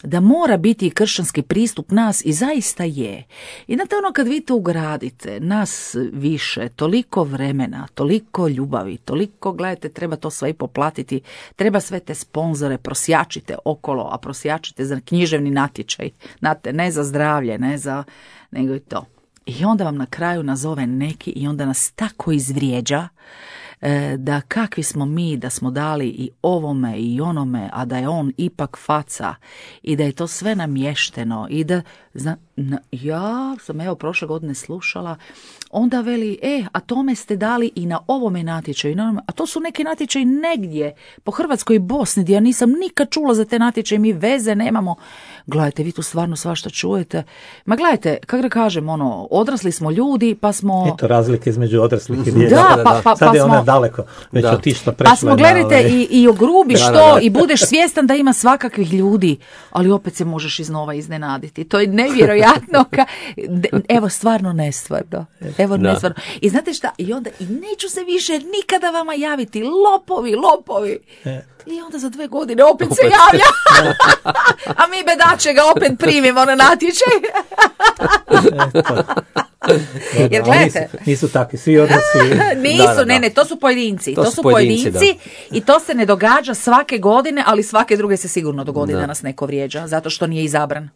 da mora biti i kršćanski pristup nas i zaista je. I znate ono kad vi to ugradite, nas više, toliko vremena, toliko ljubavi, toliko, gledajte, treba to sve i poplatiti, treba sve te sponzore, prosjačite okolo, a prosjačite za književni natječaj, znate, ne za zdravlje, nego i to. I onda vam na kraju nazove neki i onda nas tako izvrijeđa da kakvi smo mi, da smo dali i ovome i onome, a da je on ipak faca i da je to sve namješteno i da, ja sam evo prošle godine slušala, onda veli, a tome ste dali i na ovome natječaju, a to su neki natječaji negdje po Hrvatskoj i Bosni, gdje ja nisam nikad čula za te natječaje, mi veze nemamo. Gledajte, vi tu stvarno svašta čujete. Ma gledajte, kako da kažem, odrasli smo ljudi, pa smo... Eto razlike između odraslih i djece. Da, pa sad je smo... ona daleko, već otišla prešla. Pa smo, gledajte, i ogrubiš i budeš svjestan da ima svakakvih ljudi, ali opet se možeš iznova iznenaditi. To je nevjerojatno. Evo, stvarno nestvarno. Nestvarno. I znate šta, i onda, i neću se više nikada vama javiti, lopovi. I onda za 2 godine opet se javlja. A mi bedače ga opet primimo na natječaj. Jer gledajte, nisu takvi, svi odnosi. Nisu, ne, to su pojedinci. To su pojedinci i to se ne događa svake godine, ali svake druge se sigurno dogodi da nas neko vrijeđa, zato što nije izabran.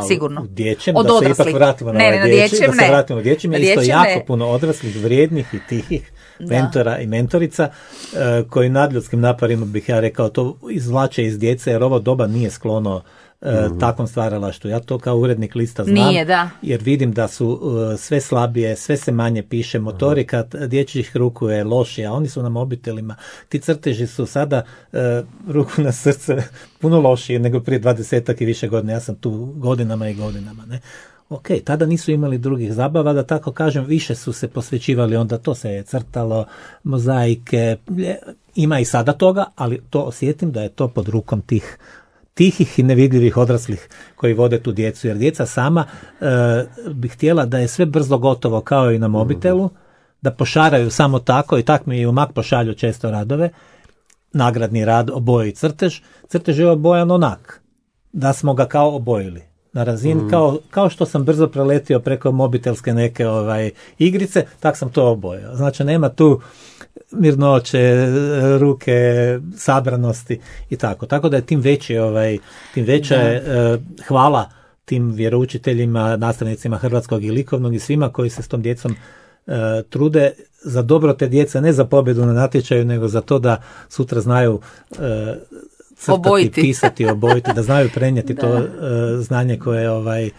Sigurno. U dječjem, da se ipak vratimo na ovaj dječjem, je isto jako puno odraslih, vrijednih i tihih mentora i mentorica koji nadljudskim naporima, bih ja rekao, to izvlače iz djece, jer ovo doba nije sklono takvom stvaralaštvu. Ja to kao urednik lista znam, jer vidim da su sve slabije, sve se manje piše, motorika dječjih ruku je lošija, oni su na mobitelima, ti crteži su sada ruku na srce puno lošije nego prije 20 i više godina, ja sam tu godinama i godinama, ne. Ok, tada nisu imali drugih zabava, da tako kažem, više su se posvećivali, onda to se je crtalo, mozaike, ima i sada toga, ali to osjetim da je to pod rukom tih tihih i nevidljivih odraslih koji vode tu djecu, jer djeca sama bi htjela da je sve brzo gotovo kao i na mobitelu, da pošaraju samo tako, i tak mi i u Mak pošalju često radove, nagradni rad, oboje i crtež je obojan onak, da smo ga kao obojili. Na razini, kao što sam brzo preletio preko mobitelske neke igrice, tak sam to obojao. Znači, nema tu mirnoće, ruke, sabranosti i tako. Tako da je tim veće hvala tim vjeroučiteljima, nastavnicima hrvatskog i likovnog i svima koji se s tom djecom trude za dobro te djece, ne za pobjedu na natječaju, nego za to da sutra znaju crtati, pisati, obojiti, da znaju prenijeti to znanje koje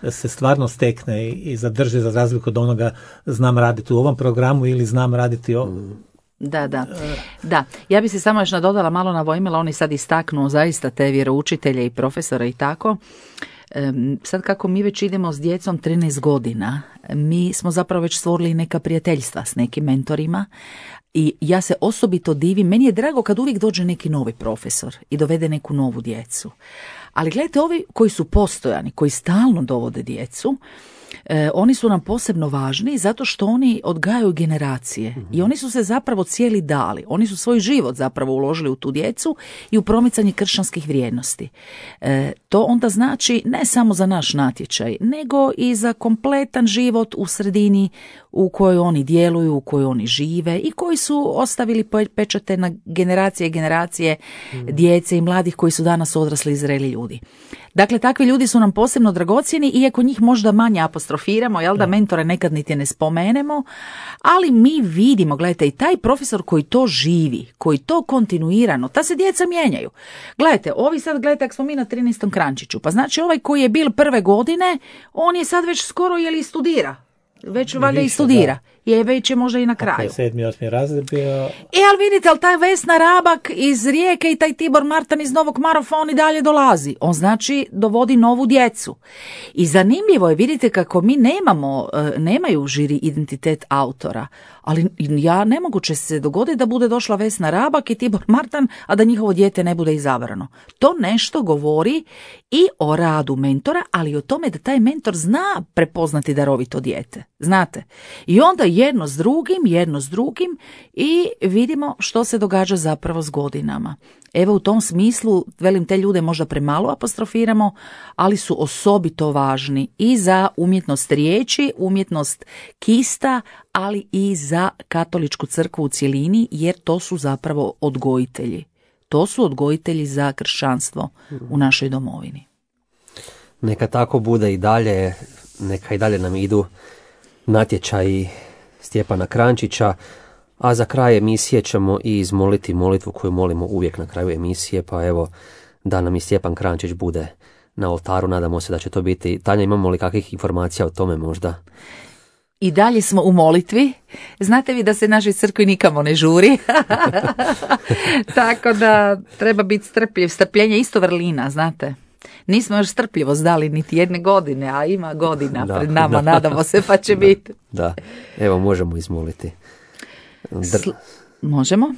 se stvarno stekne i zadrži, za razliku od onoga znam raditi u ovom programu ili znam raditi Da, ja bi se samo još nadodala malo na Vojmila, oni sad istaknu zaista te vjeroučitelje i profesore i tako. Sad kako mi već idemo s djecom 13 godina, mi smo zapravo već stvorili neka prijateljstva s nekim mentorima i ja se osobito divim, meni je drago kad uvijek dođe neki novi profesor i dovede neku novu djecu. Ali gledajte, ovi koji su postojani, koji stalno dovode djecu, oni su nam posebno važni zato što oni odgajaju generacije i oni su se zapravo cijeli dali. Oni su svoj život zapravo uložili u tu djecu i u promicanje kršćanskih vrijednosti. To onda znači ne samo za naš natječaj, nego i za kompletan život u sredini u kojoj oni djeluju, u kojoj oni žive i koji su ostavili pečate na generacije i generacije djece i mladih koji su danas odrasli i zreli ljudi. Dakle, takvi ljudi su nam posebno dragocjeni, iako njih možda manje apostrofiramo, da mentore nekad niti ne spomenemo, ali mi vidimo, gledajte, i taj profesor koji to živi, koji to kontinuirano, ta se djeca mijenjaju. Gledajte, ovi sad, gledajte, ako smo mi na 13. Krančiću, pa znači ovaj koji je bil prve godine, on je sad već skoro studira. Već valjda i studira. Je već je možda i na kraju. 7. 8. razred bio... ali vidite, ali taj Vesna Rabak iz Rijeke i taj Tibor Martan iz Novog Marofa, on i dalje dolazi. On znači dovodi novu djecu. I zanimljivo je, vidite kako mi nemaju žiri identitet autora, ali nemoguće se dogoditi da bude došla Vesna Rabak i Tibor Martan, a da njihovo dijete ne bude izabrano. To nešto govori i o radu mentora, ali i o tome da taj mentor zna prepoznati darovito dijete. Znate? I onda jedno s drugim i vidimo što se događa zapravo s godinama. Evo u tom smislu, velim, te ljude možda premalo apostrofiramo, ali su osobito važni i za umjetnost riječi, umjetnost kista, ali i za katoličku crkvu u cjelini, jer to su zapravo odgojitelji. To su odgojitelji za kršćanstvo u našoj domovini. Neka tako bude i dalje, neka i dalje nam idu natječaji Stjepana Krančića, A za kraj emisije ćemo i izmoliti molitvu koju molimo uvijek na kraju emisije, pa evo da nam i Stjepan Kranjčić bude na oltaru, nadamo se da će to biti. Tanja, imamo li kakvih informacija o tome možda? I dalje smo u molitvi. Znate vi da se našoj crkvi nikamo ne žuri. Tako da treba biti strpljiv. Strpljenje isto vrlina, znate. Nismo još strpljivost dali niti jedne godine, a ima godina pred nama, nadamo se, pa će biti. Da, evo možemo izmoliti. Možemo?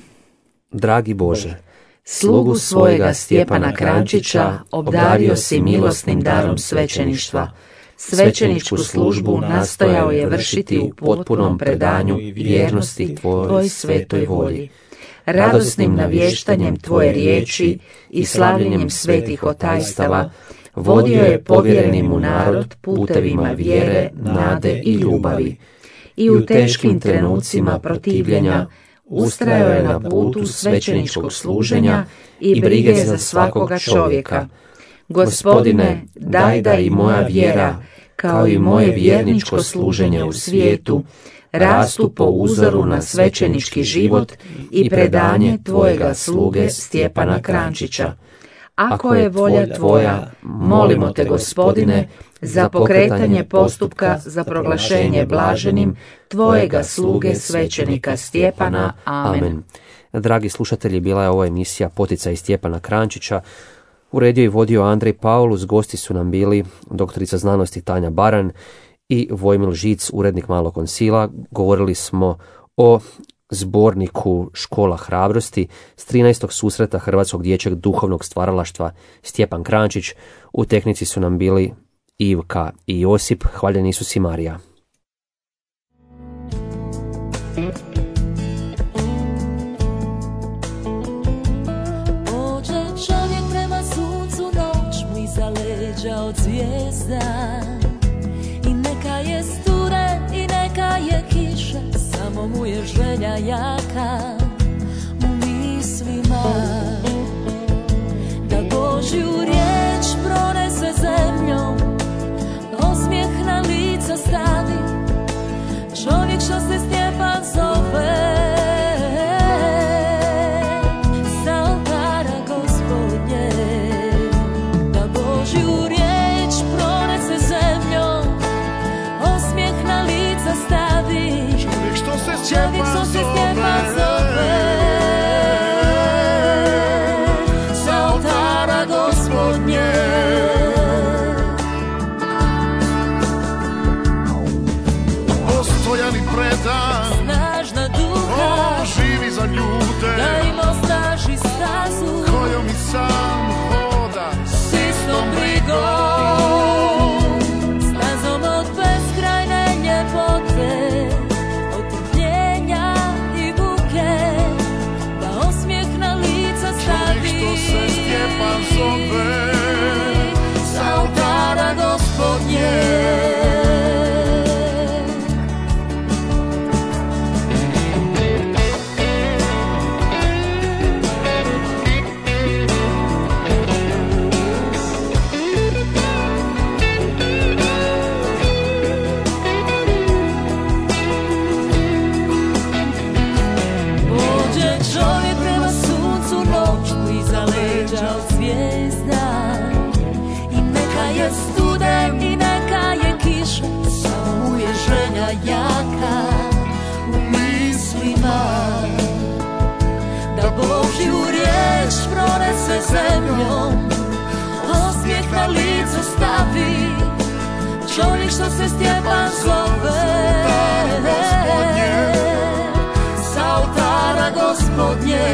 Dragi Bože, slugu svojega Stjepana Kranjčića obdario si milosnim darom svećeništva. Svećeničku službu nastojao je vršiti u potpunom predanju i vjernosti tvojoj svetoj volji. Radosnim navještanjem tvoje riječi i slavljenjem svetih otajstava vodio je povjereni mu narod putevima vjere, nade i ljubavi. I u teškim trenucima protivljenja ustrajao je na putu svećeničkog služenja i brige za svakoga čovjeka. Gospodine, daj da i moja vjera, kao i moje vjerničko služenje u svijetu, rastu po uzoru na svećenički život i predanje tvojega sluge Stjepana Kranjčića. Ako je volja tvoja, molimo te, Gospodine, za pokretanje postupka za proglašenje blaženim tvojega sluge svećenika Stjepana. Amen. Dragi slušatelji, bila je ovo emisija Poticaj Stjepana Kranjčića. Uredio i vodio Andrej Paulus, gosti su nam bili doktorica znanosti Tanja Baran i Vojmil Žic, urednik Malog koncila. Govorili smo o zborniku Škola hrabrosti s 13. susreta Hrvatskog dječjeg duhovnog stvaralaštva Stjepan Kranjčić. U tehnici su nam bili Ivka i Josip. Hvaljeni Isus i Marija. Pođe čovjek prema suncu, noć mu iza leđa od zvijezda. I neka je sture i neka je kiša, samo mu je želja jaka u mislima. Da Božju riječ pronese zemljom, osmijeh na lica stavi, čovjek što se Stjepan zove. Sa oltara Gospodnje, da Božju riječ pronese zemljom, osmijeh na lica stavi, čovjek što se Stjepan zove. Sa oltara Gospodnje. Postojan i predan, Snažna duha, živi za ljude, da im osnaži stazu kojom i sam hoda. s istom brigom, stazom od beskrajne ljepote, od trpljenja i buke, da osmijeh na lica stavi, Čovjek što se Stjepan zove. sa oltara Gospodnje. Pođe čovjek prema suncu, noć mu iza leđa od zvijezda. I neka je studen i neka je kiša, samo mu je želja jaka u mislima. Da Božju riječ pronese zemljom, osmijeh na lice stavi, čovjek što se Stjepan zove. Sa oltara Gospodnje.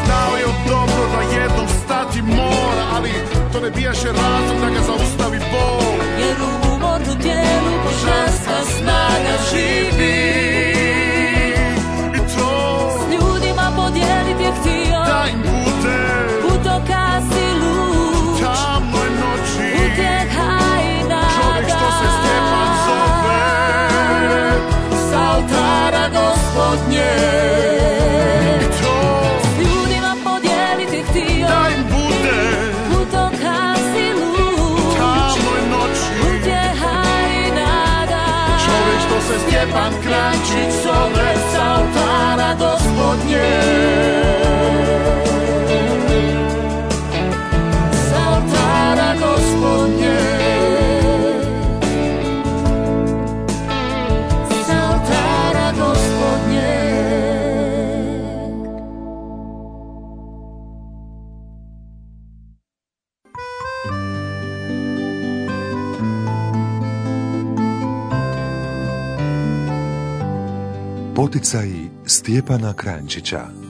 Znao je dobro da jednom stati mora, ali to ne bijaše razlog da ga zaustavi bol. Jer u umornu tijelu božanska snaga živi. I to S ljudima podijeliti je htio, da im bude putokaz i lud, tamnoj noći. utjeha i Čovjek što se nada. Stjepan zove. Sa oltara Gospodnje. I to S ljudima podijeliti je htio, da im bude putokaz i lud, tamnoj noći. utjeha i Stjepan Kranjčić zove s oltara Gospodnje. S oltara Gospodnje. S oltara Gospodnje. Poticaji Stjepana Kranjčića.